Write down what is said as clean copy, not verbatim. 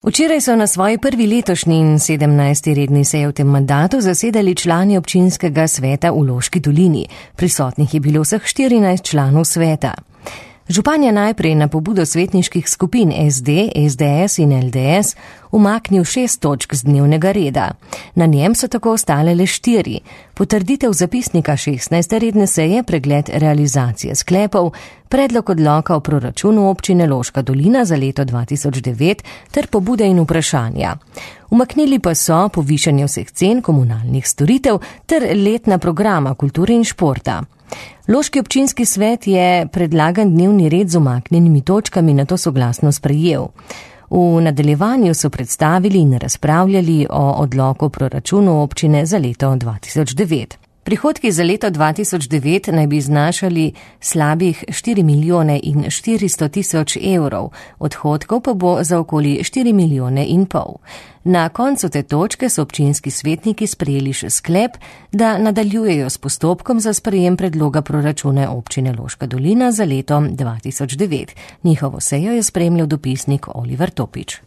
Včeraj so na svoji prvi letošnji in 17. redni seji v tem mandatu zasedali člani občinskega sveta v Loški dolini. Prisotnih je bilo vseh 14 članov sveta. Župan je najprej na pobudo svetniških skupin SD, SDS in LDS umaknil 6 točk z dnevnega reda. Na njem so tako ostale le 4. Potrditev zapisnika 16. redne seje, pregled realizacije sklepov, predlog odloka o proračunu občine Loška dolina za leto 2009 ter pobude in vprašanja. Umaknili pa so povišanje vseh cen komunalnih storitev ter letna programa kulture in športa. Loški občinski svet je predlagan dnevni red z umaknjenimi točkami nato soglasno sprejel. V nadaljevanju so predstavili in razpravljali o odloku o proračunu občine za leto 2009. Prihodki za leto 2009 naj bi znašali slabih 4 milijone in 400 tisoč evrov, odhodkov pa bo za okoli 4 milijone in pol. Na koncu te točke so občinski svetniki sprejeli še sklep, da nadaljujejo s postopkom za sprejem predloga proračuna občine Loška dolina za leto 2009. Njihovo sejo je spremljal dopisnik Oliver Topič.